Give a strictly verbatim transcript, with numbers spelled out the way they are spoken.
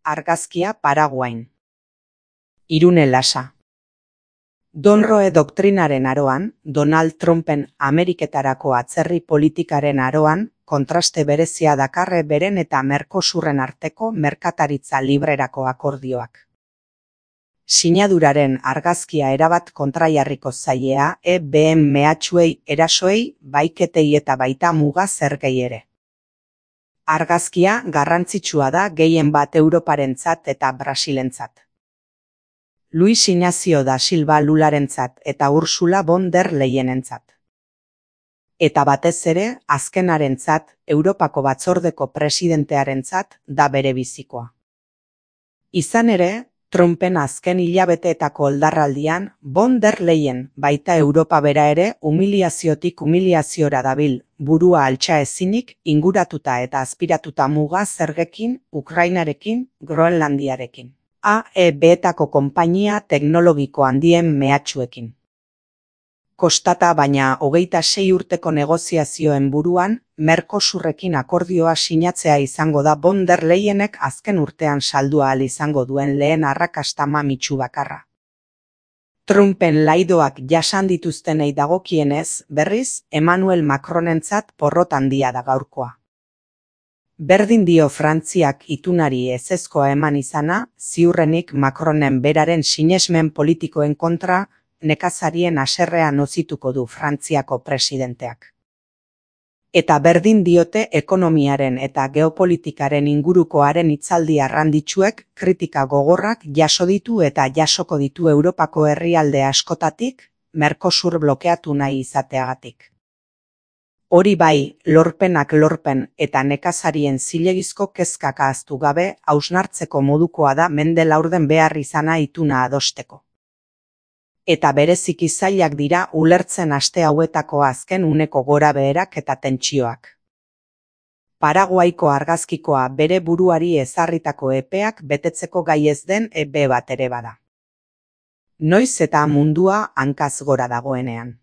Argazkia Paraguain. Irune Lasa. Donroe doktrinaren aroan, Donald Trumpen Ameriketarako atzerri politikaren aroan, kontraste berezia dakarre beren eta Mercosurren arteko merkataritza librerako akordioak. Sinaduraren argazkia erabat kontraiarriko zailea E B M mehatxuei erasoei, baiketei eta baita muga zergei ere. Argazkia garrantzitsua da gehien bat Europarentzat eta Brasilentzat. Luis Ignacio da Silva Lularentzat eta Ursula von der Leyenentzat. Eta batez ere, azkenarentzat, Europako batzordeko presidentearentzat da bere bizikoa. Izan ere, Trumpen azken hilabeteetako oldarraldian, von der Leyen baita Europa bera ere humiliaziotik humiliaziora dabil, burua altxa ezinik, inguratuta eta azpiratuta muga zergekin, Ukrainarekin, Groenlandiarekin. A E B-etako konpainia teknologiko handien mehatxuekin. Kostata baina hogeita sei urteko negoziazioen buruan, Mercosurrekin akordioa sinatzea izango da von der Leyenek azken urtean saldua ahal izango duen lehen arrakasta mamitsu bakarra. Trumpen laidoak jasan dituztenei dagokienez, berriz, Emmanuel Macronentzat porrot handia da gaurkoa. Berdin dio Frantziak itunari ezezkoa eman izana, ziurrenik Macronen beraren sinesmen politikoen kontra, nekazarien haserrea nozituko du Frantziako presidenteak. Eta berdin diote ekonomiaren eta geopolitikaren ingurukoaren hitzaldi arranditsuek kritika gogorrak jaso ditu eta jasoko ditu Europako herrialde askotatik, Mercosur blokeatu nahi izateagatik. Hori bai, lorpenak lorpen eta nekazarien zilegizko kezkak ahaztu gabe hausnartzeko modukoa da mende laurden behar izana ituna adosteko. Eta bereziki zailak dira ulertzen aste hauetako azken uneko gorabeherak eta tentsioak. Paraguaiko argazkikoa bere buruari ezarritako epeak betetzeko gai ez den E B bat ere bada. Noiz eta mundua hankaz gora dagoenean.